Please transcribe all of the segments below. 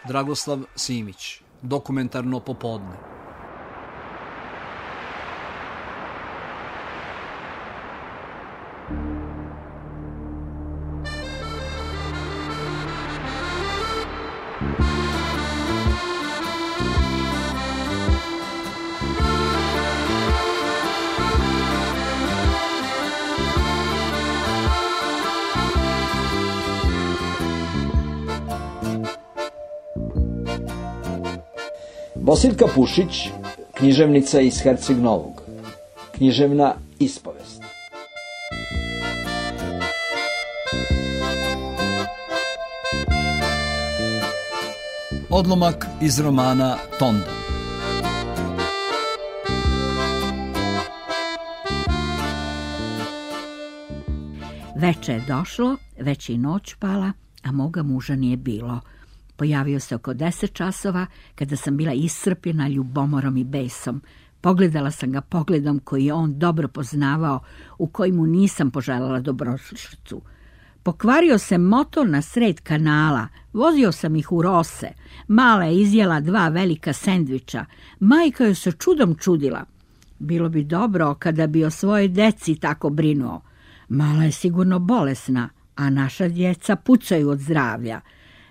Dragoslav Simić, Dokumentarno popodne. Bosiljka Pušić, književnica iz Herceg Novog. Književna ispovest. Odlomak iz romana Tonda. Veče je došlo, već i noć pala, a moga muža nije bilo. Pojavio se oko 10 časova, kada sam bila iscrpljena ljubomorom i besom. Pogledala sam ga pogledom koji je on dobro poznavao, u kojemu nisam poželjela dobrodošlicu. Pokvario se motor na sred kanala, vozio sam ih u Rose. Mala je izjela 2 velika sendviča. Majka joj se čudom čudila. Bilo bi dobro kada bi o svojoj deci tako brinuo. Mala je sigurno bolesna, a naša djeca pucaju od zdravlja.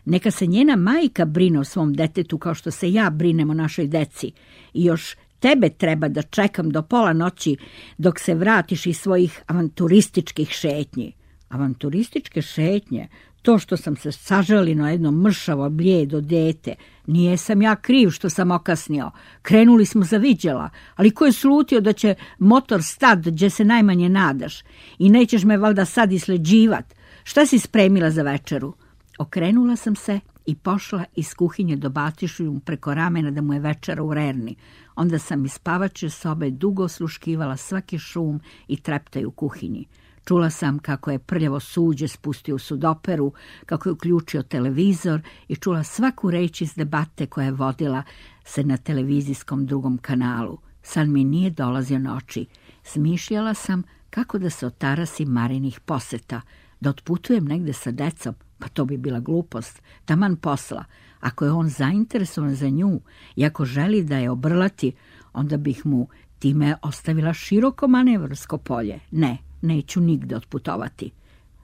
Neka se njena majka brine o svom detetu kao što se ja brinem o našoj deci. I još tebe treba da čekam do pola noći dok se vratiš iz svojih avanturističkih šetnji. Avanturističke šetnje? To što sam se sažali na jedno mršavo blijedo dete. Nije sam ja kriv što sam okasnio. Krenuli smo za viđela, ali ko je slutio da će motor stat gdje se najmanje nadaš? I nećeš me valjda sad isleđivat. Šta si spremila za večeru? Okrenula sam se i pošla iz kuhinje dobacišuju mu preko ramena da mu je večera u rerni. Onda sam iz spavače sobe dugo osluškivala svaki šum i treptaj u kuhinji. Čula sam kako je prljavo suđe spustio u sudoperu, kako je uključio televizor i čula svaku reč iz debate koja je vodila se na televizijskom drugom kanalu. Sad mi nije dolazio na oči. Smišljala sam kako da se otarasim Marinih poseta, da otputujem negde sa decom. Pa to bi bila glupost, taman posla. Ako je on zainteresovan za nju i ako želi da je obrlati, onda bih mu time ostavila široko manevarsko polje. Ne, neću nigde otputovati.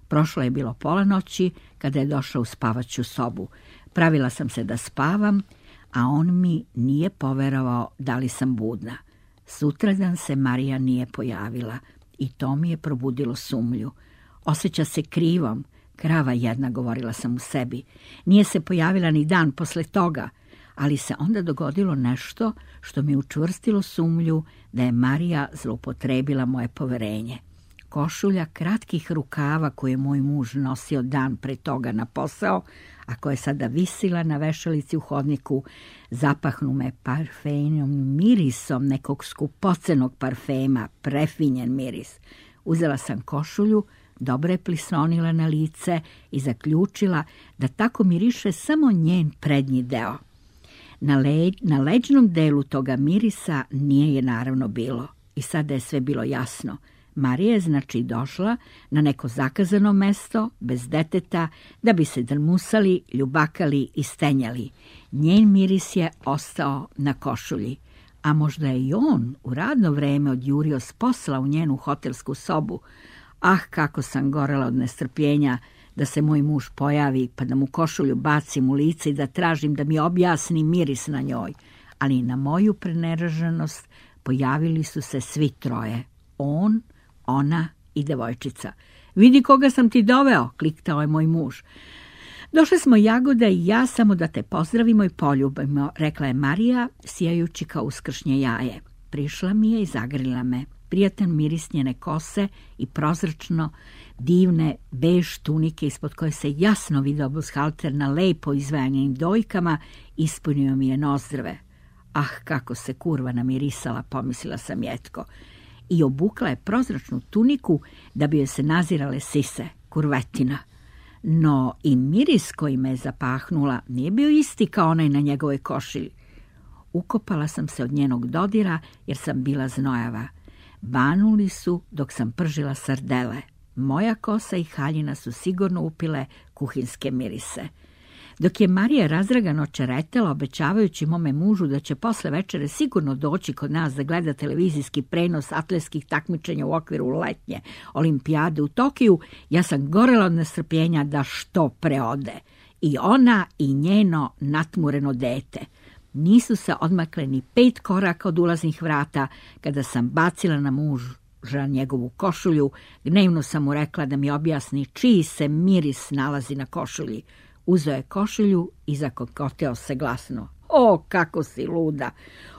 Prošlo je bilo pola noći kada je došao u spavaću sobu. Pravila sam se da spavam, a on mi nije poverovao da li sam budna. Sutradan se Marija nije pojavila i to mi je probudilo sumlju. Osjeća se krivom. Krava jedna, govorila sam u sebi. Nije se pojavila ni dan posle toga, ali se onda dogodilo nešto što mi učvrstilo sumlju da je Marija zloupotrebila moje poverenje. Košulja kratkih rukava koju je moj muž nosio dan pre toga na posao, a koja je sada visila na vešalici u hodniku, zapahnu me parfejnom mirisom nekog skupocenog parfema, prefinjen miris. Uzela sam košulju, dobro je plisonila na lice i zaključila da tako miriše samo njen prednji deo. Na leđnom delu toga mirisa nije je naravno bilo i sada je sve bilo jasno. Marija je znači došla na neko zakazano mesto, bez deteta, da bi se drmusali, ljubakali i stenjali. Njen miris je ostao na košulji, a možda je i on u radno vreme odjurio s posla u njenu hotelsku sobu. Ah, kako sam gorela od nestrpljenja da se moj muž pojavi, pa da mu košulju bacim u lice i da tražim da mi objasni miris na njoj. Ali na moju preneraženost pojavili su se svi troje. On, ona i devojčica. Vidi koga sam ti doveo, kliktao je moj muž. Došli smo Jagoda i ja samo da te pozdravimo i poljubimo, rekla je Marija, sijajući kao uskršnje jaje. Prišla mi je i zagrlila me. Prijatan miris njene kose i prozračno divne bež tunike ispod koje se jasno video bushalter na lepo izvajanim dojkama ispunio mi je nozdrve. Ah, kako se kurva namirisala, pomislila sam jetko. I obukla je prozračnu tuniku da bi joj se nazirale sise, kurvetina. No i miris koji me je zapahnula nije bio isti kao onaj na njegovoj košilji. Ukopala sam se od njenog dodira jer sam bila znojava. Banuli su dok sam pržila sardele. Moja kosa i haljina su sigurno upile kuhinske mirise. Dok je Marija razdragano čeretela, obećavajući mome mužu da će posle večere sigurno doći kod nas da gleda televizijski prenos atletskih takmičenja u okviru letnje olimpijade u Tokiju, ja sam gorela od nestrpljenja da što pre ode. I ona i njeno natmureno dete. Nisu se odmakle ni 5 koraka od ulaznih vrata kada sam bacila na muža njegovu košulju. Gnevno sam mu rekla da mi objasni čiji se miris nalazi na košulji. Uzeo je košulju i zakokoteo se glasno. O, kako si luda!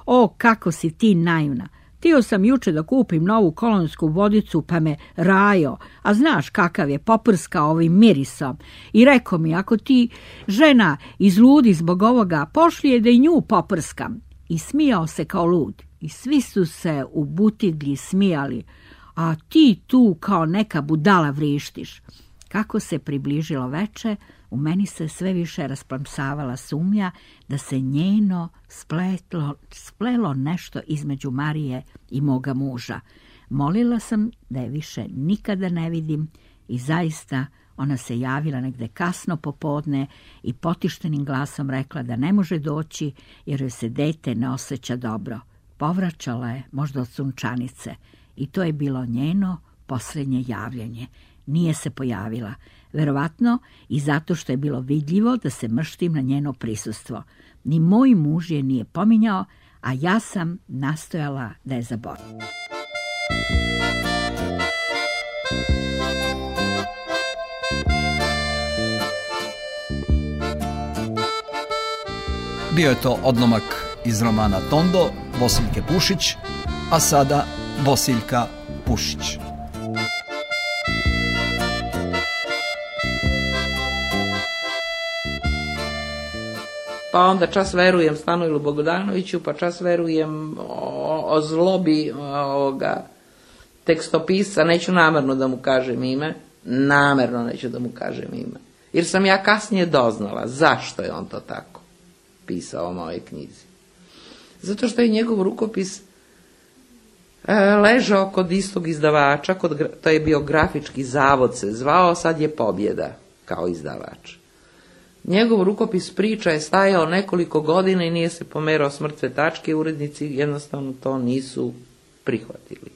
O, kako si ti naivna! Htio sam juče da kupim novu kolonsku vodicu, pa me rajo, a znaš kakav je, poprskao ovim mirisom. I rekao mi, ako ti žena izludi zbog ovoga, pošli je da i nju poprskam. I smijao se kao lud. I svi su se u butiglji smijali, a ti tu kao neka budala vrištiš. Kako se približilo veče, u meni se sve više rasplamsavala sumnja da se njeno splelo nešto između Marije i moga muža. Molila sam da je više nikada ne vidim i zaista ona se javila negde kasno popodne i potištenim glasom rekla da ne može doći jer joj se dete ne osjeća dobro. Povraćala je možda od sunčanice i to je bilo njeno posljednje javljanje. Nije se pojavila, verovatno i zato što je bilo vidljivo da se mrštim na njeno prisustvo. Ni moj muž je nije pominjao, a ja sam nastojala da je zaboravim. Bio je to odlomak iz romana Tondo Bosiljke Pušić, a sada Bosiljka Pušić. Pa onda čas verujem Stanoilu Bogdanoviću, pa čas verujem o zlobi ovoga tekstopisca, neću namerno da mu kažem ime, jer sam ja kasnije doznala zašto je on to tako pisao o mojoj knjizi. Zato što je njegov rukopis ležao kod istog izdavača, to je bio Grafički zavod se zvao, sad je Pobjeda kao izdavač. Njegov rukopis priča je stajao nekoliko godina i nije se pomerao s mrtve tačke, urednici jednostavno to nisu prihvatili.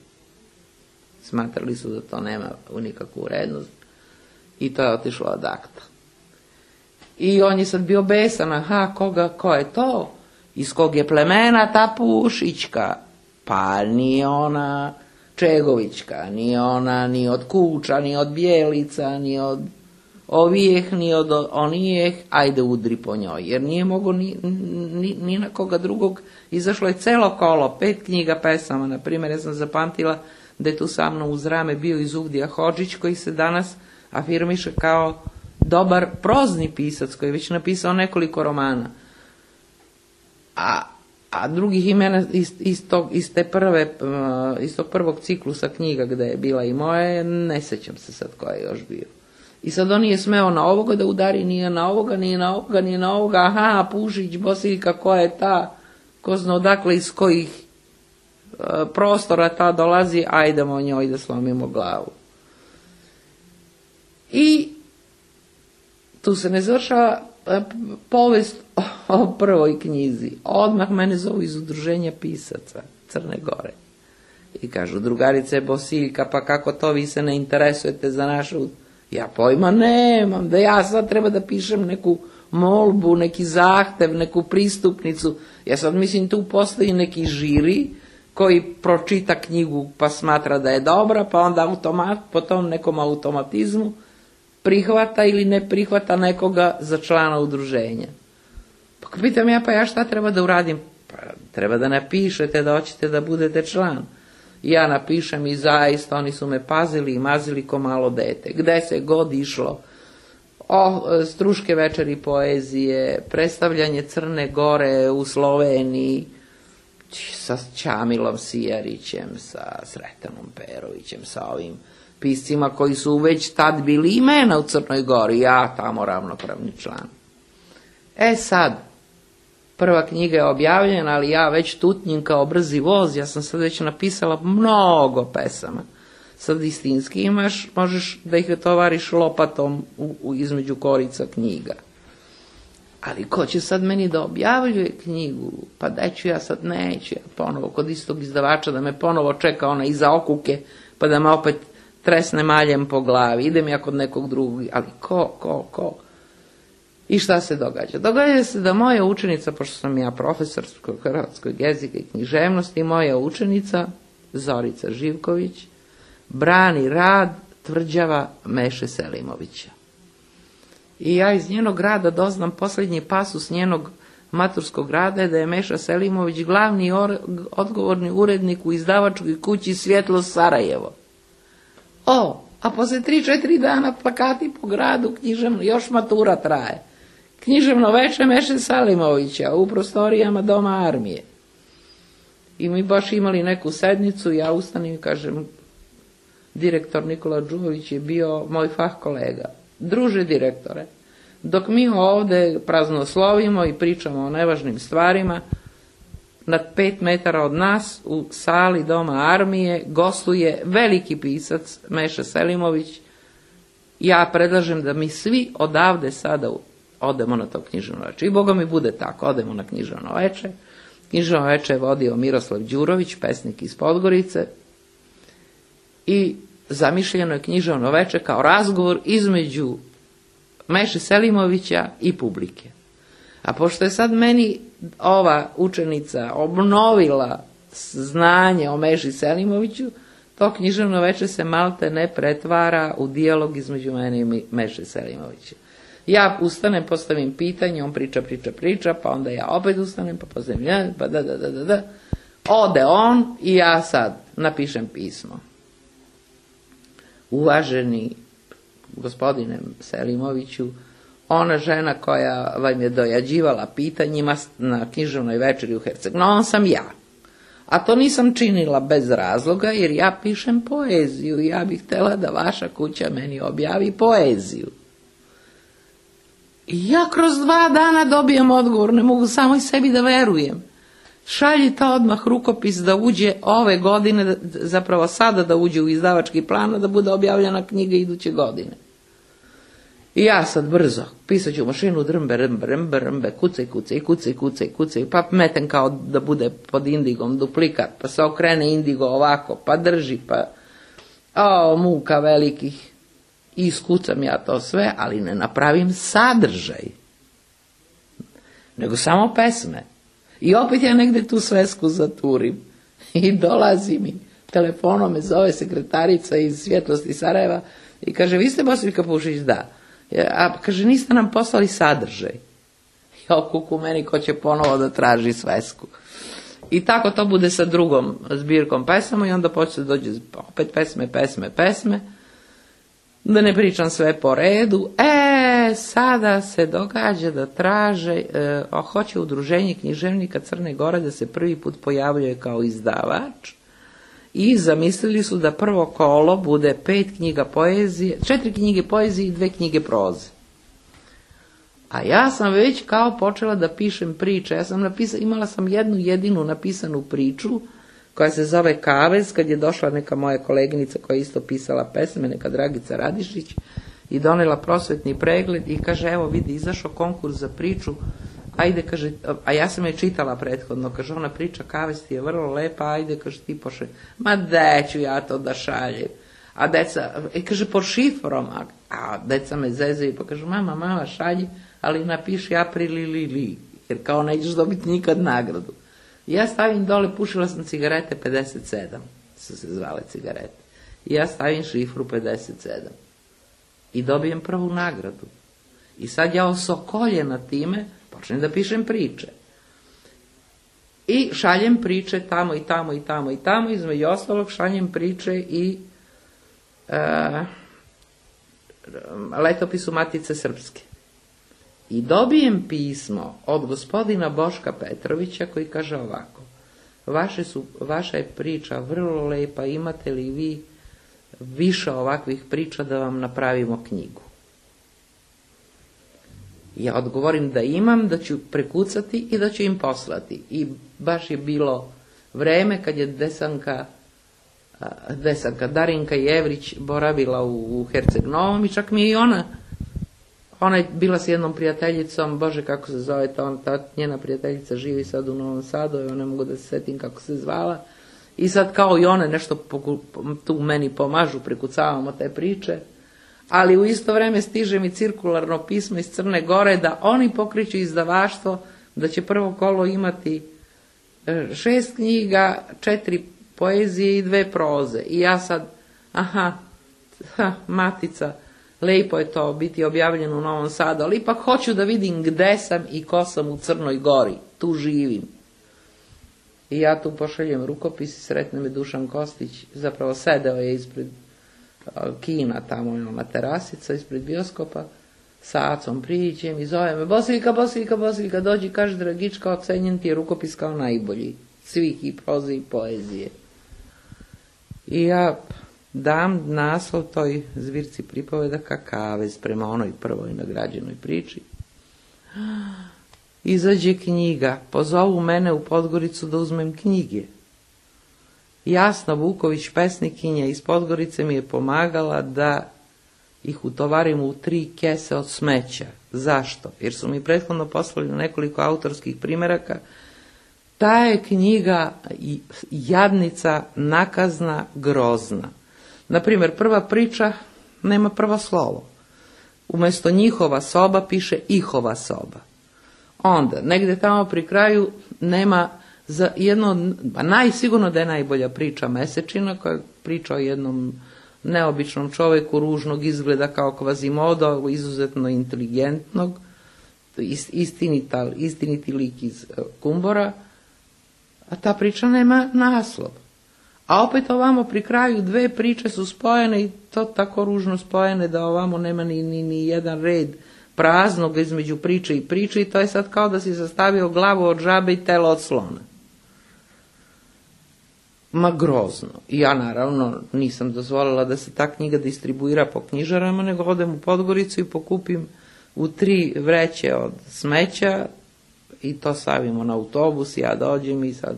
Smatrali su da to nema nikakvu vrednost i to je otišlo ad acta. I on je sad bio besan, ko je to? Iz kog je plemena ta Pušićka? Pa nije ona Čegovićka, nije ona ni od Kuča, ni od Bijelica, ni od ovijeh, ni od onijeh, ajde udri po njoj, jer nije mogo ni na koga drugog. Izašlo je celo kolo, 5 knjiga pesama, na primjer, ja sam zapamtila da je tu sa mnom uz rame bio Izuvdija Hodžić, koji se danas afirmiše kao dobar prozni pisac, koji je već napisao nekoliko romana. A drugih imena iz tog prvog ciklusa knjiga gde je bila i moje, ne sećam se sad ko je još bio. I sad on nije smeo na ovoga da udari, nije na ovoga, aha, Pušić, Bosiljka, ko je ta, ko zna odakle iz kojih prostora ta dolazi, ajdemo njoj da slomimo glavu. I tu se ne završava povest o prvoj knjizi. Odmah mene zovu iz udruženja pisaca Crne Gore. I kažu, drugarice je Bosiljka, pa kako to vi se ne interesujete za našu... Ja pojma nemam, da ja sad treba da pišem neku molbu, neki zahtev, neku pristupnicu. Ja sad mislim tu postoji neki žiri koji pročita knjigu pa smatra da je dobra, pa onda po tom nekom automatizmu prihvata ili ne prihvata nekoga za člana udruženja. Pa pitam ja šta treba da uradim? Pa treba da napišete da hoćete da budete član. Ja napišem i zaista oni su me pazili i mazili ko malo dete. Gde se god išlo, struške večeri poezije, predstavljanje Crne Gore u Sloveniji, sa Ćamilom Sijarićem, sa Sretanom Perovićem, sa ovim piscima koji su već tad bili imena u Crnoj Gori, ja tamo ravnopravni član. Sad, prva knjiga je objavljena, ali ja već tutnjim kao brzi voz, ja sam sad već napisala mnogo pesama. Sad istinski možeš da ih tovariš lopatom između korica knjiga. ali ko će sad meni da objavljuje knjigu, pa da ću ja sad, neću ja ponovo kod istog izdavača da me ponovo čeka ona iza okuke, pa da me opet tresne maljem po glavi, idem ja kod nekog drugog, ali ko? I šta se događa? Događa se da moja učenica, pošto sam ja profesor hrvatskog jezika i književnosti, moja učenica, Zorica Živković, brani rad tvrđava Meše Selimovića. I ja iz njenog rada doznam posljednji pasus njenog maturskog rada je da je Meša Selimović glavni odgovorni urednik u izdavačkoj kući Svjetlo Sarajevo. A posle 3-4 dana plakati po gradu književno, još matura traje. Književno veče Meše Selimovića u prostorijama Doma armije. I mi baš imali neku sednicu, ja ustanem i kažem, direktor Nikola Đurović je bio moj fah kolega. Druže direktore, dok mi ovde praznoslovimo i pričamo o nevažnim stvarima, na 5 metara od nas u sali Doma armije gostuje veliki pisac Meša Selimović. Ja predlažem da mi svi odavde sada odemo na to književno veče. I Boga mi bude tako, odemo na književno veče. Književno veče je vodio Miroslav Đurović, pesnik iz Podgorice. I zamišljeno je književno veče kao razgovor između Meše Selimovića i publike. A pošto je sad meni ova učenica obnovila znanje o Meši Selimoviću, to književno veče se malte ne pretvara u dijalog između mene i Meše Selimovića. Ja ustanem, postavim pitanje, on priča, pa onda ja opet ustanem, pa postavim, pa da. Ode on i ja sad napišem pismo. Uvaženi gospodine Selimoviću, ona žena koja vam je dojađivala pitanjima na književnoj večeri u Herceg-Novom sam ja. A to nisam činila bez razloga, jer ja pišem poeziju i ja bih htjela da vaša kuća meni objavi poeziju. I ja kroz 2 dana dobijem odgovor, ne mogu samo i sebi da verujem. Šaljite odmah rukopis da uđe ove godine, zapravo sada da uđe u izdavački plan, da bude objavljena knjiga iduće godine. I ja sad brzo, pisat ću mašinu, drmbe, kucaj, pa metem kao da bude pod indigom duplikat, pa se okrene indigo ovako, pa drži, pa muka velikih. I iskucam ja to sve, ali ne napravim sadržaj, nego samo pesme. I opet ja negde tu svesku zaturim. I dolazi mi, telefonom me zove sekretarica iz Svjetlosti Sarajeva i kaže, vi ste Bosiljka Pušić? Da. A kaže, niste nam poslali sadržaj. I okuku meni ko će ponovo da traži svesku. I tako to bude sa drugom zbirkom pesama i onda počne da dođe opet pesme. Da ne pričam sve po redu. Sada se događa da traže, hoće Udruženje književnika Crne Gore da se prvi put pojavljuje kao izdavač i zamislili su da prvo kolo bude 5 knjiga poezije, 4 knjige poezije i 2 knjige proze. A ja sam već kao počela da pišem priče. Imala sam jednu jedinu napisanu priču koja se zove Kavez, kad je došla neka moja koleginica koja je isto pisala pesme, neka Dragica Radišić, i donela prosvetni pregled i kaže, evo vidi, izašao konkurs za priču, ajde, kaže, a ja sam je čitala prethodno, kaže, ona priča Kavez ti je vrlo lepa, ajde, kaže, ti pošalj. Ma de ću ja to da šaljem. A deca, kaže, pod šifrom, a deca me zezaju, pa kaže, mama, šalji, ali napiši April, jer kao nećeš dobiti nikad nagradu. Ja stavim dole, pušila sam cigarete 57, su se zvale cigarete. I ja stavim šifru 57. I dobijem prvu nagradu. I sad ja osokoljena time počnem da pišem priče. I šaljem priče tamo, između ostalog šaljem priče i letopisu Matice Srpske. I dobijem pismo od gospodina Boška Petrovića koji kaže ovako, vaša je priča vrlo lepa, imate li vi više ovakvih priča da vam napravimo knjigu? Ja odgovorim da imam, da ću prekucati i da ću im poslati. I baš je bilo vreme kad je Darinka Jevrić boravila u Herceg-Novom i čak mi je i ona Ona je bila s jednom prijateljicom, bože kako se zove, ta njena prijateljica živi sad u Novom Sadu, ja ne mogu da se setim kako se zvala. I sad kao i one nešto tu meni pomažu, prekucavamo te priče. Ali u isto vreme stiže mi cirkularno pismo iz Crne Gore da oni pokreću izdavaštvo, da će prvo kolo imati 6 knjiga, 4 poezije i 2 proze. I ja sad, matica, lepo je to biti objavljeno u Novom Sadu, ali ipak hoću da vidim gde sam i ko sam u Crnoj Gori, tu živim. I ja tu pošaljem rukopis i sretne me Dušan Kostić, zapravo sedeo je ispred kina, tamo je ona terasica ispred bioskopa, sa Acom priđem i zove me, Bosiljka, dođi, kaže Dragička, ocenjen ti je rukopis kao najbolji, svih i proze i poezije. I ja dam naslov toj zbirci pripovedaka Kavez prema onoj prvoj nagrađenoj priči. Izađe knjiga, pozovu mene u Podgoricu da uzmem knjige. Jasna Vuković, pesnikinja iz Podgorice, mi je pomagala da ih utovarim u 3 kese od smeća. Zašto? Jer su mi prethodno poslali nekoliko autorskih primeraka. Ta je knjiga jadnica, nakazna, grozna. Naprimjer, prva priča nema prvo slovo. Umjesto njihova soba piše ihova soba. Onda, negdje tamo pri kraju nema za jedno, sigurno da je najbolja priča Mesečina, koja je priča o jednom neobičnom čovjeku, ružnog izgleda kao Kvazimodo, izuzetno inteligentnog, istiniti lik iz Kumbora, a ta priča nema naslov. A opet ovamo pri kraju 2 priče su spojene i to tako ružno spojene da ovamo nema ni jedan red praznog između priče i to je sad kao da si sastavio glavu od žabe i telo od slona. Ma grozno. I ja naravno nisam dozvolila da se ta knjiga distribuira po knjižarama, nego odem u Podgoricu i pokupim u 3 vreće od smeća i to stavimo na autobus, ja dođem i sad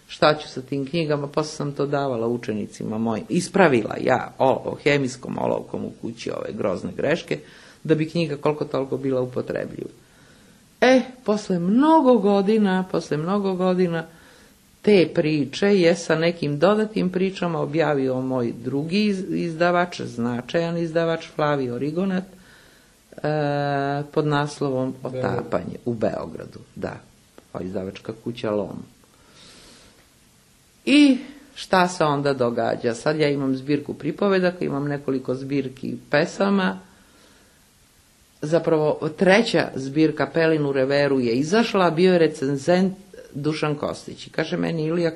šta ću sa tim knjigama, posle sam to davala učenicima mojim. Ispravila ja hemijskom olovkom u kući ove grozne greške, da bi knjiga koliko toliko bila upotrebljiva. Posle mnogo godina te priče je sa nekim dodatnim pričama objavio moj drugi izdavač, značajan izdavač, Flavio Rigonat, pod naslovom Otapanje u Beogradu. Da, izdavačka kuća Lom. I šta se onda događa? Sad ja imam zbirku pripovedaka, imam nekoliko zbirki pesama. Zapravo 3. zbirka Pelinu Reveru je izašla, bio je recenzent Dušan Kostić. I kaže meni Ilija,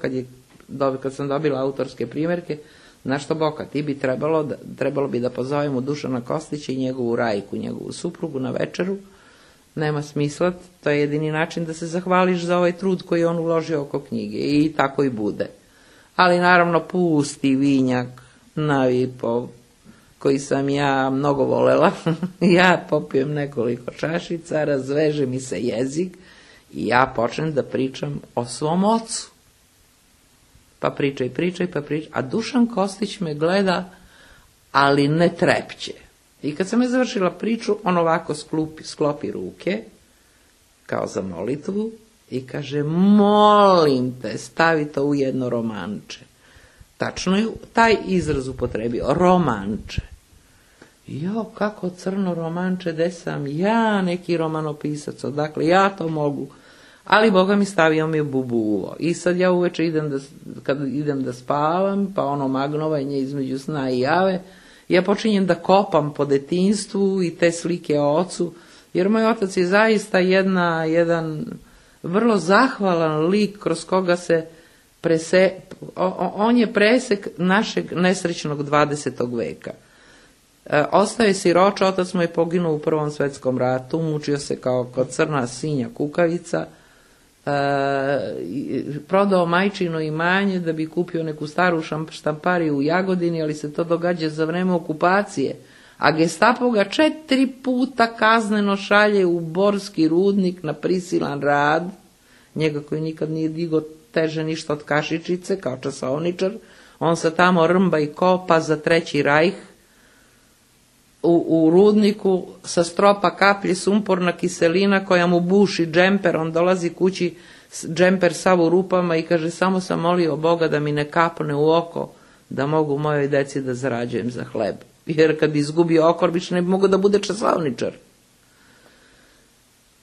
kad sam dobila autorske primjerke, znaš što Boka, ti bi trebalo bi da pozovemo Dušana Kostića i njegovu Rajku, njegovu suprugu na večeru. Nema smisla, to je jedini način da se zahvališ za ovaj trud koji je on uložio oko knjige. I tako i bude. Ali naravno pusti vinjak na Vipov, koji sam ja mnogo volela. Ja popijem nekoliko čašica, razveže mi se jezik i ja počnem da pričam o svom ocu. Pa pričaj, a Dušan Kostić me gleda, ali ne trepće. I kad sam je završila priču, on ovako sklopi ruke, kao za molitvu, i kaže, molim te, stavi to u jedno romanče. Tačno je taj izraz upotrebio, romanče. Jo, kako crno romanče, gde sam ja neki romanopisac, odakle ja to mogu. Ali Boga mi stavio mi je bubuvo. I sad ja uveče kad idem da spavam, pa ono magnovanje između sna i jave, ja počinjem da kopam po detinjstvu i te slike o ocu, jer moj otac je zaista jedan vrlo zahvalan lik kroz koga se on je presek našeg nesrećnog 20. veka. Ostao je siroča, otac mu je poginuo u Prvom svetskom ratu, mučio se kao kod crna sinja kukavica, prodao majčino imanje da bi kupio neku staru štampariju u Jagodini, ali se to događa za vreme okupacije, a Gestapo ga 4 puta kazneno šalje u Borski rudnik na prisilan rad, njega koji nikad nije digao teže ništa od kašičice kao časovničar, on se tamo rmba i kopa za Treći rajh, u rudniku sa stropa kaplje sumporna kiselina koja mu buši džemper, on dolazi kući, džemper sav u rupama i kaže samo sam molio Boga da mi ne kapne u oko, da mogu mojoj deci da zarađujem za hleb. Jer kad bi izgubio oko, više ne bi mogao da bude časovničar.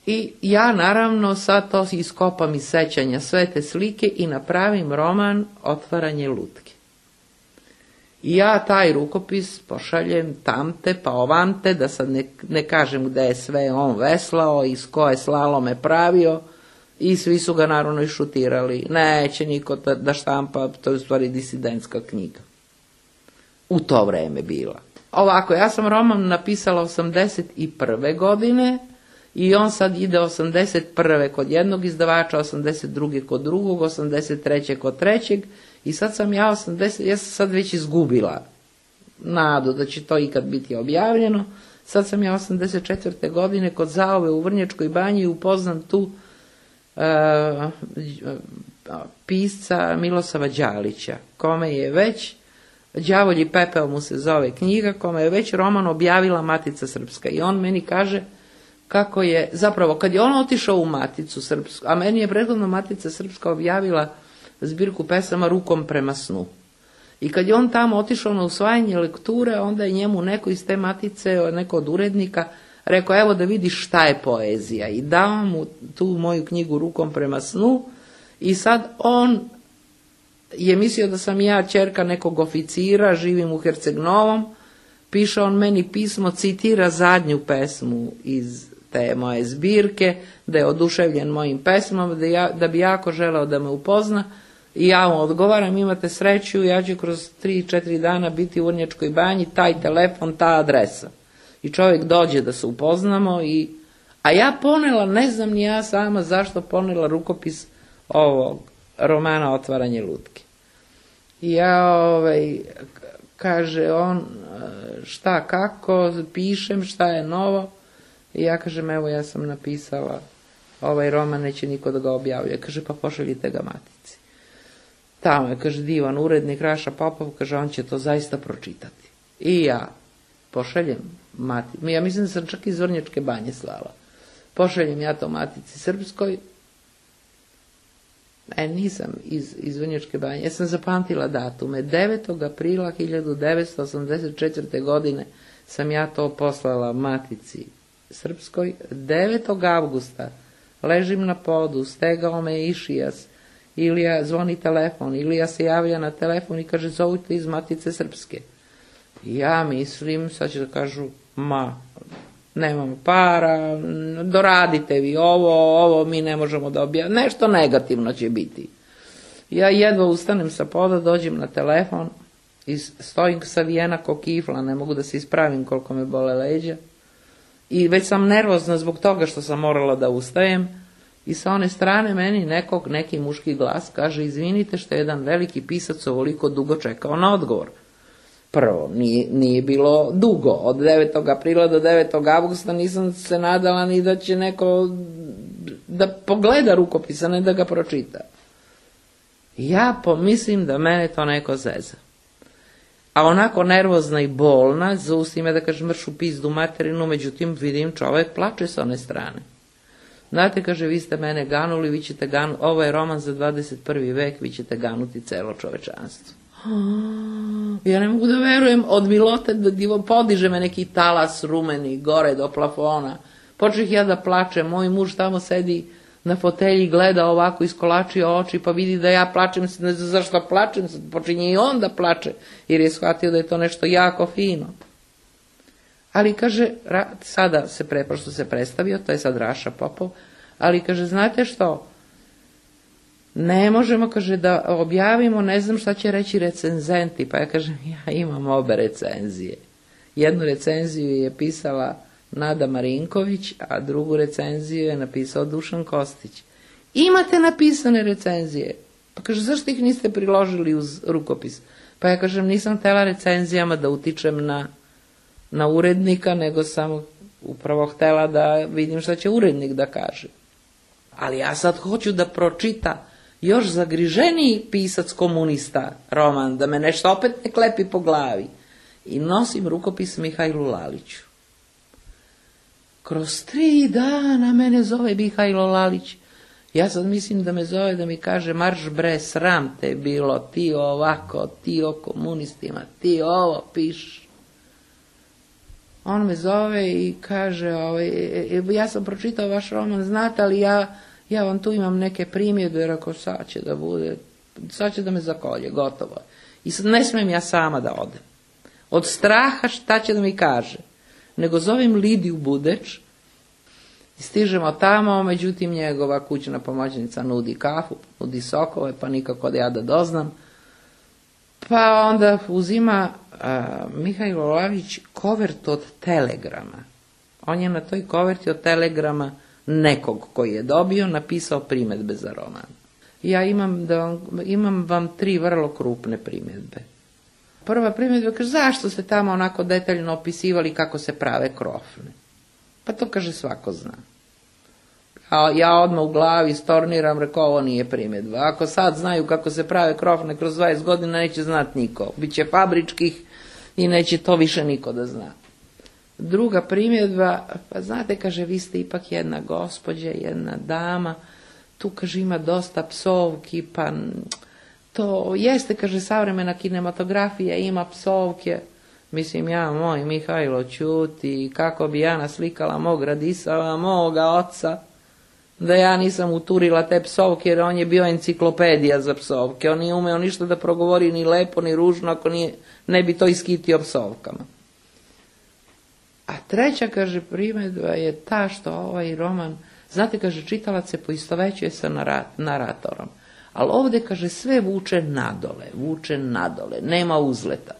I ja naravno sad to iskopam iz sećanja sve te slike i napravim roman Otvaranje lutke. I ja taj rukopis pošaljem tamte pa ovante, da sad ne kažem gde je sve on veslao, iz koje slalome pravio, i svi su ga naravno išutirali. Neće niko da štampa, to je u stvari disidentska knjiga. U to vreme bila. Ovako, ja sam roman napisala 81. godine i on sad ide 81. kod jednog izdavača, 82. kod drugog, 83. kod trećeg i sad sam ja sam sad već izgubila nadu da će to ikad biti objavljeno. Sad sam ja 84. godine kod Zaove u Vrnjačkoj banji upoznam tu pisca Milosava Đalića, kome je već Đavolji pepeo mu se zove knjiga, kome je već roman objavila Matica Srpska. I on meni kaže kako je, zapravo kad je on otišao u Maticu Srpsku, a meni je prethodno Matica Srpska objavila zbirku pesama Rukom prema snu. I kad je on tamo otišao na usvajanje lekture, onda je njemu neko iz te Matice, neko od urednika, rekao evo da vidiš šta je poezija. I dao mu tu moju knjigu Rukom prema snu i sad on je mislio da sam ja ćerka nekog oficira, živim u Herceg Novom, piše on meni pismo, citira zadnju pesmu iz te moje zbirke, da je oduševljen mojim pesmama, da bi jako želeo da me upozna i ja mu odgovaram, imate sreću, ja ću kroz 3-4 dana biti u Vrnjačkoj banji, taj telefon, ta adresa. I čovjek dođe da se upoznamo, a ja ponela, ne znam ni ja sama zašto ponela rukopis ovog romana Otvaranje lutke. I ja, kaže on, šta, kako, pišem, šta je novo. I ja kažem, evo ja sam napisala ovaj roman, neće niko da ga objavlja. Kaže, pa pošaljite ga Matici. Tamo je, kaže, divan urednik Raša Popov, kaže, on će to zaista pročitati. I ja pošaljem Matici, ja mislim da sam čak iz Vrnjačke banje slala. Pošaljem ja to Matici Srpskoj. Nisam iz Vrnjačke banje, ja sam zapamtila datume. 9. aprila 1984. godine sam ja to poslala Matici Srpskoj. 9. avgusta ležim na podu, stegao me Išijas, Ilija zvoni telefon, Ilija se javlja na telefon i kaže zovite iz Matice Srpske. Ja mislim, sad će da kažu, nemamo para, doradite vi ovo mi ne možemo da objavimo, nešto negativno će biti. Ja jedva ustanem sa poda, dođem na telefon i stojim savijena ko kifla, ne mogu da se ispravim koliko me bole leđa. I već sam nervozna zbog toga što sam morala da ustajem i sa one strane meni neki muški glas kaže izvinite što je jedan veliki pisac ovoliko dugo čekao na odgovor. Prvo, nije bilo dugo, od 9. aprila do 9. avgusta nisam se nadala ni da će neko da pogleda rukopisa, ne da ga pročita. Ja pomislim da mene to neko zeza. A onako nervozna i bolna, zaustim me da kažem mršu pizdu materinu, međutim vidim čovek plače s one strane. Znate, kaže, vi ste mene ganuli, vi ćete ganuti, ovo je roman za 21. vek, vi ćete ganuti celo čovečanstvo. Ja ne mogu da verujem, od milote da podiže me neki talas rumeni gore do plafona. Počeh ja da plačem, moj muž tamo sedi na fotelji, gleda ovako, iskolačio oči, pa vidi da ja plačem, ne znam zašto plačem, počinje i on da plače, jer je shvatio da je to nešto jako fino. Ali kaže, sada pošto se predstavio, to je sad Raša Popov, ali kaže, znate što, ne možemo, kaže, da objavimo, ne znam šta će reći recenzenti, pa ja kažem, ja imam obe recenzije. Jednu recenziju je pisala Nada Marinković, a drugu recenziju je napisao Dušan Kostić. Imate napisane recenzije? Pa kaže, zašto ih niste priložili uz rukopis? Pa ja kažem, nisam htela recenzijama da utičem na urednika, nego sam upravo htela da vidim šta će urednik da kaže. Ali ja sad hoću da pročita još zagriženiji pisac komunista roman, da me nešto opet ne klepi po glavi. i nosim rukopis Mihajlu Laliću. Kroz 3 dana mene zove Mihajlo Lalić. Ja sad mislim da me zove da mi kaže: marš bre, sram te bilo, ti ovako, ti o komunistima, ti ovo piš. On me zove i kaže: ja sam pročitao vaš roman, znate, ali ja vam tu imam neke primjedbe, jer ako sad će da me zakolje, gotovo. I sad ne smijem ja sama da odem. Od straha šta će da mi kaže. Nego zovem Lidiju Budeč i stižemo tamo, međutim njegova kućna pomoćnica nudi kafu, nudi sokove, pa nikako da ja da doznam. Pa onda uzima Mihajlo Lalić kovert od telegrama. On je na toj koverti od telegrama nekog koji je dobio napisao primjedbe za roman. Ja imam vam 3 vrlo krupne primjedbe. Prva primjedba kaže: zašto ste tamo onako detaljno opisivali kako se prave krofne? Pa to, kaže, svako zna. A ja odmah u glavi storniram, rekao: ovo nije primjedba. Ako sad znaju kako se prave krofne kroz 20 godina, neće znati niko. Biće fabričkih i neće to više niko da zna. Druga primjedba: pa znate, kaže, vi ste ipak jedna gospođa, jedna dama, tu, kaže, ima dosta psovki, pa to jeste, kaže, savremena kinematografija, ima psovke. Mislim, ja, moj Mihajlo, ćuti, kako bi ja naslikala mog Radisava, moga oca, da ja nisam uturila te psovke, jer on je bio enciklopedija za psovke. On nije umeo ništa da progovori ni lepo, ni ružno, ako ne bi to iskitio psovkama. A treća, kaže, primjedba je ta što ovaj roman, znate, kaže, čitalac se poistovećuje sa naratorom. Ali ovdje, kaže, sve vuče nadole, nema uzleta.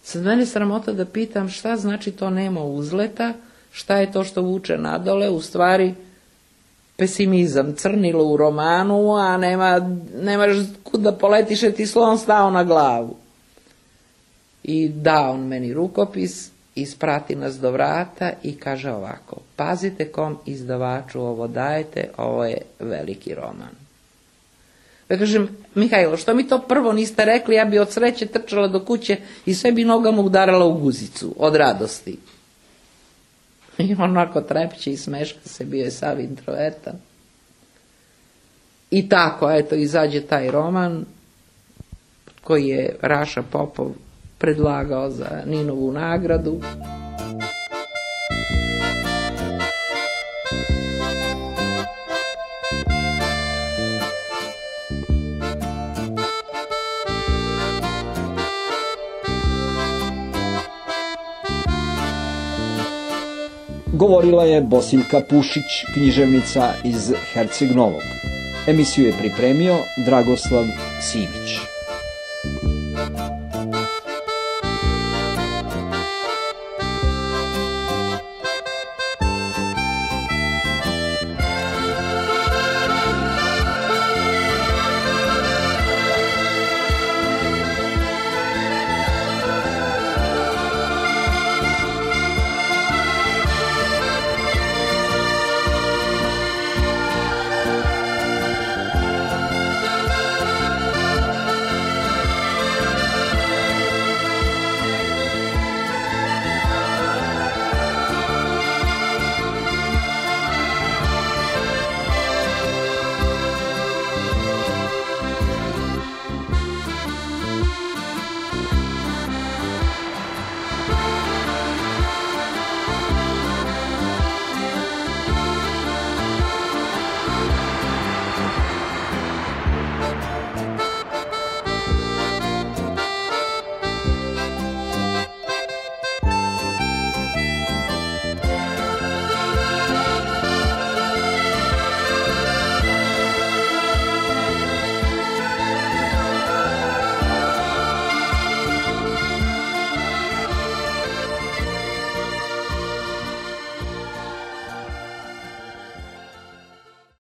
Sad mene sramota da pitam šta znači to nema uzleta, šta je to što vuče nadole, u stvari pesimizam, crnilo u romanu, a nemaš kud da poletiš, jer ti slon stao na glavu. I da on meni rukopis, isprati nas do vrata i kaže ovako: pazite kom izdavaču ovo dajete, ovo je veliki roman. Ja kažem: Mihajlo, što mi to prvo niste rekli, ja bi od sreće trčala do kuće i sve bi nogama udarala u guzicu od radosti. I onako trepće i smeška se, bio je sav introvertan. I tako, eto, izađe taj roman koji je Raša Popov predlagao za Ninovu nagradu. Govorila je Bosiljka Pušić, književnica iz Herceg Novog. Emisiju je pripremio Dragoslav Simić.